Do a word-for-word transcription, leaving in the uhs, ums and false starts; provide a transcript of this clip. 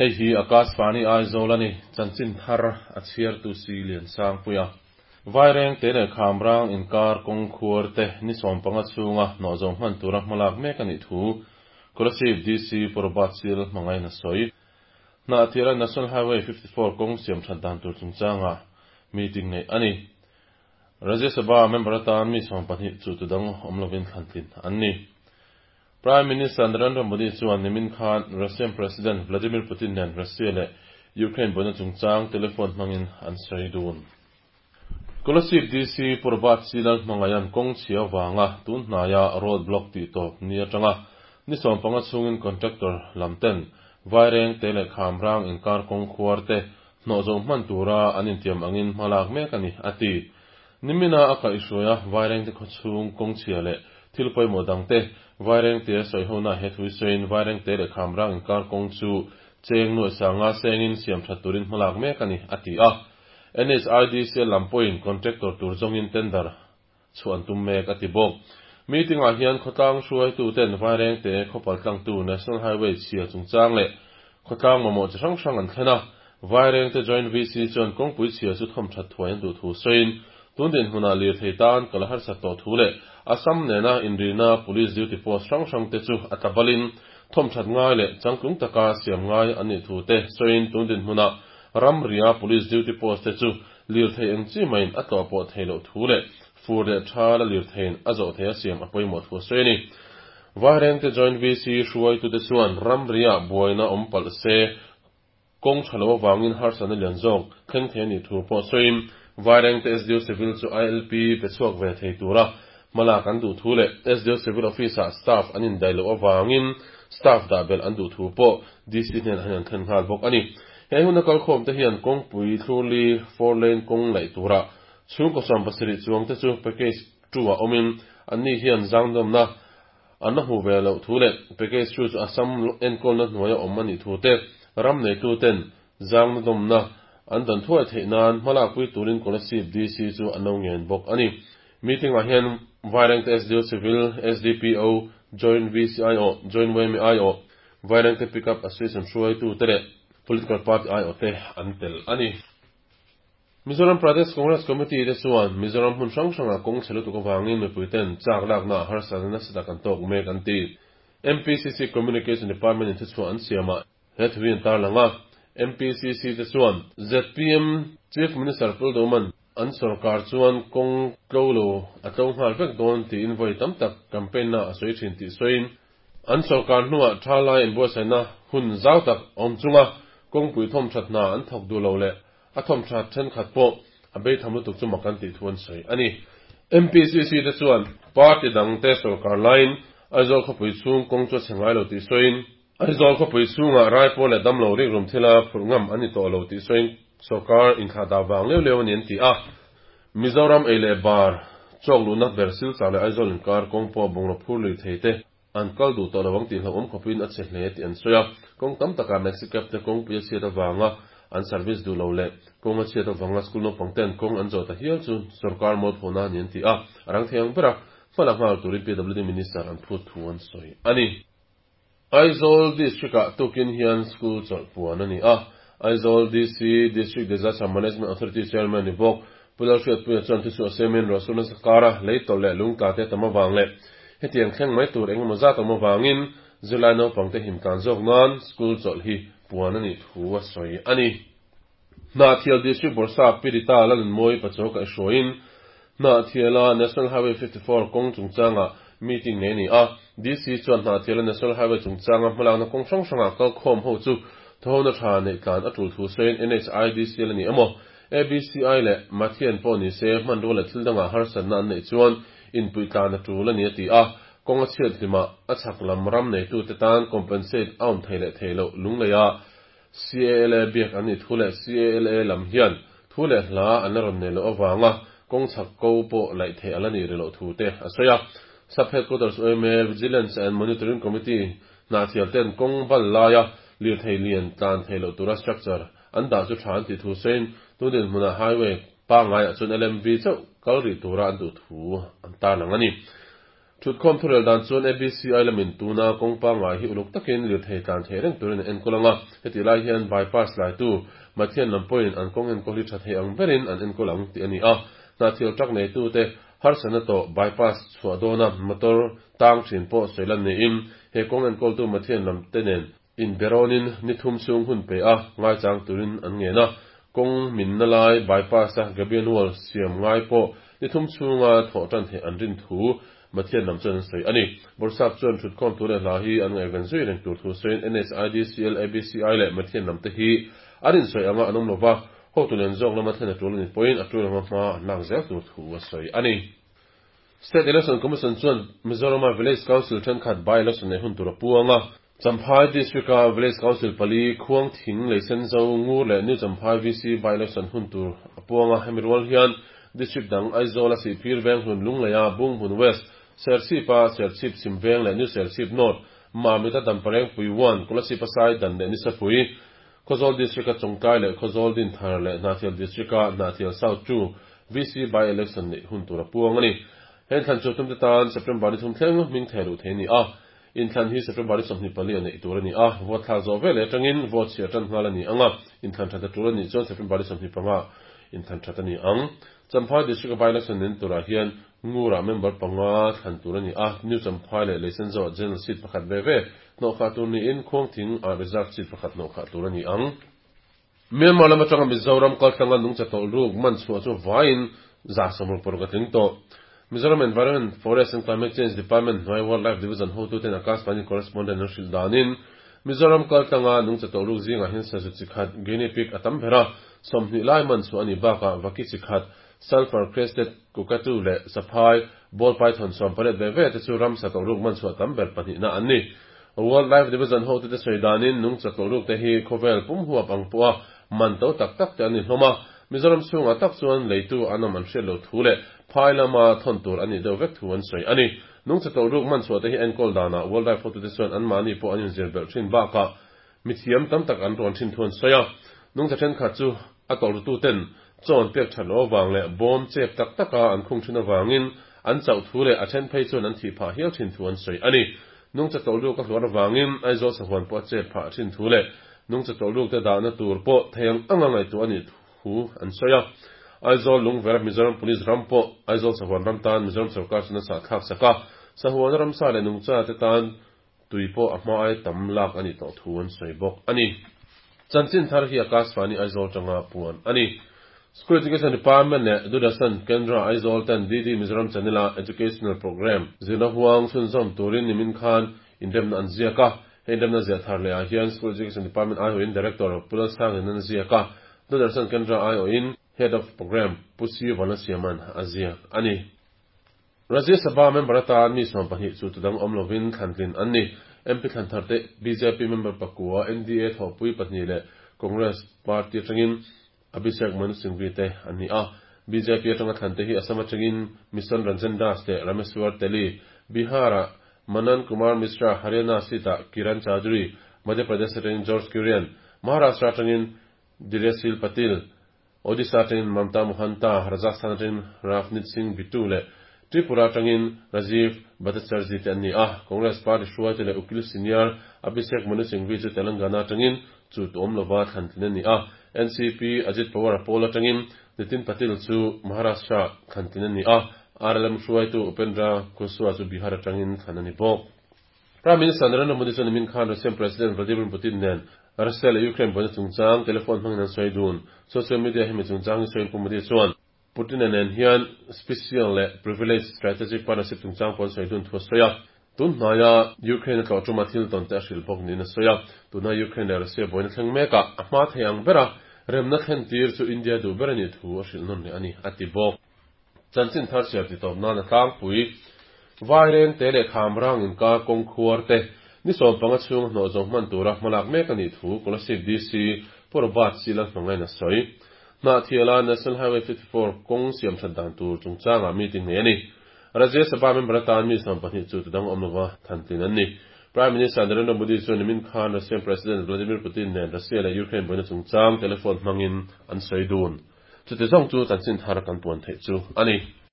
Hei hi Akashvani Aizawl a ni, chanchin thar a chhiartu si Liansangpuia. Vaireng te leh Khamrang inkar kawng khuar te ni sawm panga chhunga nawh zo hman tura hmalak mek a nih thu Kolasib D C Pu Robert Sil hmangain a sawi. Hnahthiala National Highway fifty four kawng siam that dan tur chungchangah meeting neih a ni. Rajya Sabha member atan mi sawm pahnih chu tudang awm lovin thlan tlin an ni. Prime Minister Narendra Modi chuan nimin khan Russian President Vladimir Putin nen Russia leh Ukraine buaina chungchang telephone hmangin an sawi dun. Kolasib D C Pu Robert C Lalhmangaian kawng chhia vanga tun hnaia road block tih tawp ni atanga ni sawm panga chhungin contractor lam ten Vaireng te leh Khamrang inkar kawng khuar te hnawh zo hman tura an intiam angin hmalak mek a ni, a ti. Nimina a kaihhruai a Vaireng te khawchhung kawng chhia leh thil pawimawh dang te Vaireng te sawi hona he thui sawiin Vaireng te leh Khamrang inkar kawng chu cheng nuaih sanga sengin siam that turin hmalak mek a ni, a ti a. N H I D C lam pawhin contractor tur zawngin tender chhuan tum mek a ti bawk. Meeting ah hian khawtlang hruaitu ten Vaireng te khawpal tlangtu National Highway chhia chungchang leh khawtlang mamawh chi hrang hrang an thlen a. Vaireng te Joint V C chuan kawngpui chhia chu thawm that thuai an duh thu sawiin tun din hmunah lir thei tan kal harsat tawh thu leh Assam nena inrina police duty post hrang hrang te chu a tlabalin thawm that ngai leh changtlung taka siam ngai an nih thu te sawiin tun din hmunah ramria police duty post te chu lir thei eng chi maiin a tlawh pawh thei loh thu leh fur leh tha la lir theiin a zawh thei a siam a pawimawh thu sawi a ni. Vaireng te Joint V C hruaitu te chuan ramria buaina awm palh se kawng tha lo awangin harsatna lian zawk thleng thei ani thu pawh sawiin Vaireng te S D O Civil chu I L P pe chhuak ve thei tura hmalak an duh thu leh S D O Civil Office ah staff an indai loh awangin staff dah belh an duh thu pawh D C hnen an an thlen nghal bawk a ni. He hun a kalkhawm te hian kawngpui thlurli four lane kawng laih tura chhungkaw sawm pasarih chuang te chu package two ah awmin an ni hian zangdawmna an la hmu ve loh thu leh package two chu Assam enkawlna hnuai a awm ani thu te ram nei tu ten zangna dawmna an dan thuai theih nan hmalak pui turin Kolasib D C chu an lo ngen bawk a ni. Meeting ah hian Vaireng te S D O Civil, S D P O, Joint V C I O, Joint Y M I O, Vaireng te Pickup Association hruaitu te leh Political Party I O te an tel a ni. Mizoram Pradesh Congress Committee te chuan Mizoram hmun hrang hranga kawng chhe lutuk awangin mipui ten chak lakna harsatna nasa tak an tawk mek an ti. M P C C Communication Department in thuchhuah an siama he thuin tar langa M P C C te chuan Z P M Chief Minister Puldoman an sarkar chuan kawng tlo lo a tlo nghal vek dawn tiin vawi tam tak campaign na a sawi thin tih sawiin an sarkar hnuah tha lai inbuatsaihna hun zau tak awm chunga kawngpui thawm that hna an thawk duh lo leh a thawm that thenkhat pawh a bei tham lutuk chu mak an tih thu an sawi a ni. M P C C te chuan party dang te sarkar lain Aizawl khawpui chhung kawng chu a chhe ngai lo tih sawiin Aizawl khawpui chhungah raipawl leh damlo rik rum thila phurh ngam an ni tawh lo tih sawiin sarkar inthlah dah vang leu leu ani an ti a. Mizoram ei leh bar chawk luhna ber Silchar leh Aizawl inkar kawng pawh bungraw phur lui thei te an kal duh tawh lovang tih hlauhawm khawpin a chhe hle tih an sawi a. Kawng tam takah Maxi Cab te kawngpui a chhiat avanga an service duh lo leh kawng a chhiat avanga school naupang ten kawng an zawh ta hial chu sarkar mualphona ani an ti a. A rang thei ang bera hmalak nghal turin P W D Minister an phut thu an sawi a ni. Aizawl District ah tukin hian school chawlh puan ani a. Aizawl D C District Disaster Management Authority Chairman ni bawk Pulal hriat puia chuan thu chu a semin Rosuna sakara lei tawlh leh lungtla te tam awang leh hetiang thleng mai tur engemaw zat awm awangin zirlai naupang te him tlan zawk nan school chawlh hi puan ani thu a sawi a ni. Hnahthial District Bawrhsap Pirita Lalnunmawi Pachaw kaihhruaiin Hnahthiala National Highway fifty four kawng chungchanga meeting nei ni a. D C chuan Hnahthiala National Highway chungchanga hmalakna kawng hrang hranga kalkhawm ho chu thawhona tha nei tlan a tul thu sawiin N H I D C la ni emaw A B C I leh Mathian pawh ni se hman rual leh thil dangah harsatna an neih chuan inpui tlan a tul ani a ti a. Kawng a chhiat hlima a chhak lam ram nei tu te tan compensate a awm thei leh thei loh lungleia C A L A biak an ni thu leh C A L A lam hian thu leh hla an la rawn nei loh awanga kawng chhak ko pawh laih thei ala ni ri loh thu te a sawi a. Sub Headquarters O M A Vigilance and Monitoring Committee Hnahthial ten kawng bal laia lir thei lian tlan thei loh tura structure an dah chu tha an ti thu sawiin tunin hmunah highway pangai ah chuan L M V chauh kal ri tura an duh thu an tar lang ani. Thutkhawm thurel dan chuan A B C I lamin tuna kawng pangngai hi uluk takin lirthei tlan thei reng turin an enkawl anga, heti lai hian bypass laitu Mathian lam pawhin an kawng enkawl hi tha thei ang berin an enkawl ang tih a ni a. Hnahthial truck neitute harsatna tawh bypass chhuah dawna motor tang thin pawh sawi lan niin he kawng enkawltu Mathian lam te nen inberawnin ni thum chhung hun pe a ngaichang turin an ngen a. Kawng minna lai bypass a gabion wall siam ngai pawh ni thum chhunga thawh tan theih an rin thu Mathian lam chuan an sawi a ni. Bawrhsap chuan thutkhawm thu leh hla hi an ngaihven zui reng tur thu sawiin N H I D C L A B C I leh Mathian lam te hi an insawi anga an awm lova, hotu lian zawk lama thlen a tul a ni pawhin a tul anga hma an lak zel tur thu a sawi a ni. State Election Commission chuan Mizorama Village Council thenkhat by-election nei hun tur a puang a. Champhai District-a Village Council pali Khuang Thing Leisen Zo Ngur leh New Champhai V C by-election hun tur a puang a. Hemi rual hian District dang Aizawl a Sihphir Veng Hlun Lungleia Bungbun West, Serchhipa Serchhip Chhim Veng leh New Serchhip North, Mamita Dampareng Pui one, Kolasib Sai Dan leh Nisapui, Khawzawl District-a Chawngtlai leh Khawzawl Dinthar leh Hnahthial District-a Hnahthial South two V C by-election neih hun tur a puang a ni. Heng thlan chu tumte tan September ni thum thleng hming thei luh thei a ni a. Inthlan hi September ni sawmhnih pali a neih tur a ni a. Vote thlak zawh vel leh atangin vote chhiar tan nghal a ni ang a. Inthlan that a tul a nih chuan September ni sawmhnih panga inthlan that a ni ang. Champhai District-a by-election nen turah hian Ngurah member panga thlan tur a ni a. New Champhai leh Leisenzo General Seat pakhat ve ve hnawhkhah tur niin Khuangthing ah Reserve Seat pakhat hnawhkhah tur a ni ang. Myanmar lam atanga Mizoram kaltlanga nungcha tawlh ruk man chhuah chu vaiin za sawmruk paruk a tling tawh. Mizoram Environment, Forest and Climate Change Department hnuai Wildlife Division hotuten Akashvani correspondent an hrilh danin Mizoram kaltlanga nungcha tawlh ruk zingah hian sazu chi khat guinea pig a tam ber a, sawmhnih lai man chhuah a ni bakah vaki chi khat sulphur crested cockatoo leh saphai ball python sawm pariat ve ve te chu ramsa tawlh ruk man chhuah tam ber pahnihna an ni. Wildlife Division hotute sawi danin nungcha tawlh ruk te hi khawvel pum huap ang pawha man to tak tak te an ni hlawm a. Mizoram chhungah tak chuan leitu an awm an hriat lo thu leh phai lama thawn tur a nih deuh vek thu an sawi a ni. Nungcha tawlh ruk man chhuah te hi enkawl danah Wildlife hotute chuan an mahni pawh an inzir belh thin bakah mithiam tam tak an rawn thin thu an sawi a. Nungcha thenkhat chu a tawlh rututen chaw an pek that loh avang leh bawm chep tak taka an khung thin avangin an chauh thu leh a then phei chuan an thih phah hial thin thu an sawi a ni. Nungcha tawlh ruk a hluar avangin Aizawl sahuan pawh a chep phah thin thu leh nungcha tawlh ruk te dahna tur pawh thei ang anga ngaihtuah a nih thu an sawi a. Aizawl Lungvera Mizoram Police ram pawh Aizawl sahuan ram tan Mizoram sarkar chuan a sah thlak sak a. Sahuan ramsa leh nungcha te tan tui pawh a hma ai tam lak a nih tawh thu an sawi bawk a ni. Chanchin thar hi Akashvani Aizawl tanga puan a ni. School Education Department leh Doordarshan Kendra Aizawl ten D D Mizoram Channel a Educational Program zirna huang chhunzawm turin nimin khan inremna an ziak a. Hei inremna ziah thar leh ah hian School Education Department aiawhin Director Pu Lalsangin an ziak a. Doordarshan Kendra aiawhin Head of Program Pu C Vanlasiaman a ziak a ni. Rajya Sabha member atan mi sawm pahnih chu tudang awm lovin thlantlin an ni. M P thlan thar te B J P member pakua N D A thawhpui pahnih leh Congress Party atangin Abhishek Manu Singhvi te an ni a. B J P atanga thlan te hi Assam atangin Mission Ranjan Das leh Rameswar Teli, Bihar-ah Manan Kumar Mishra, Haryana seat-ah Kiran Chaudhary, Madhya Pradesh atangin George Kurian, Maharashtra atangin Dhairyashil Patil, Odisha atangin Mamta Mohanta, Rajasthan atangin Ravneet Singh Bittu leh Tripura atangin Rajiv Bhattacharjee te an ni a. Congress Party hruaite leh Ukil Senior Abhishek Manu Singhvi chu Telangana atangin chu tuam lova thlantlin a ni a. N C P Ajit Pawar a pawl atangin Nitin Patil chu Maharashtra thlantlin a ni a. R L M hruaitu Upendra Kushwaha chu Bihar atangin thlan a ni bawk. Prime Minister Narendra Modi chuan nimin khan Russian President Vladimir Putin nen Russia leh Ukraine buaina chungchang telephone hmangin an sawi dun. Social media hemi chungchang hi sawiin Pu Modi chuan Putin nen hian special leh privilege strategic partnership chungchang pawh an sawi dun thu a sawi a. Tun hnaia Ukraine a tlawh tuma thil tawn te a hrilh bawk niin a sawi a. Tuna Ukraine leh Russia buaina thleng mekah a hma thei ang bera remna thlen tir chu India duh ber a nih thu a hrilh nawn leh a ni a ti bawk. Chanchin thar chhiar ti tawp nan a tlangpui Vaireng te leh Khamrang inkar kawng khuar te ni sawm panga chhung hnawh zawng hman tura hmalak mek a nih thu Kolasib D C Pu Robert C Lalhmangain a sawi. Hnahthiala National Highway fifty-four kawng siam that dan tur chungchangah meeting nei a ni. Rajya Sabha member atan mi sawm pahnih chu tudang awm lova thantlin an ni. Prime Minister Narendra Modi chuan nimin khan Russian President Vladimir Putin nen Russia leh Ukraine buaina chungchang telephone hmangin an sawi dun. Chuti zawng chu chanchin thar kan puan theih chu a ni.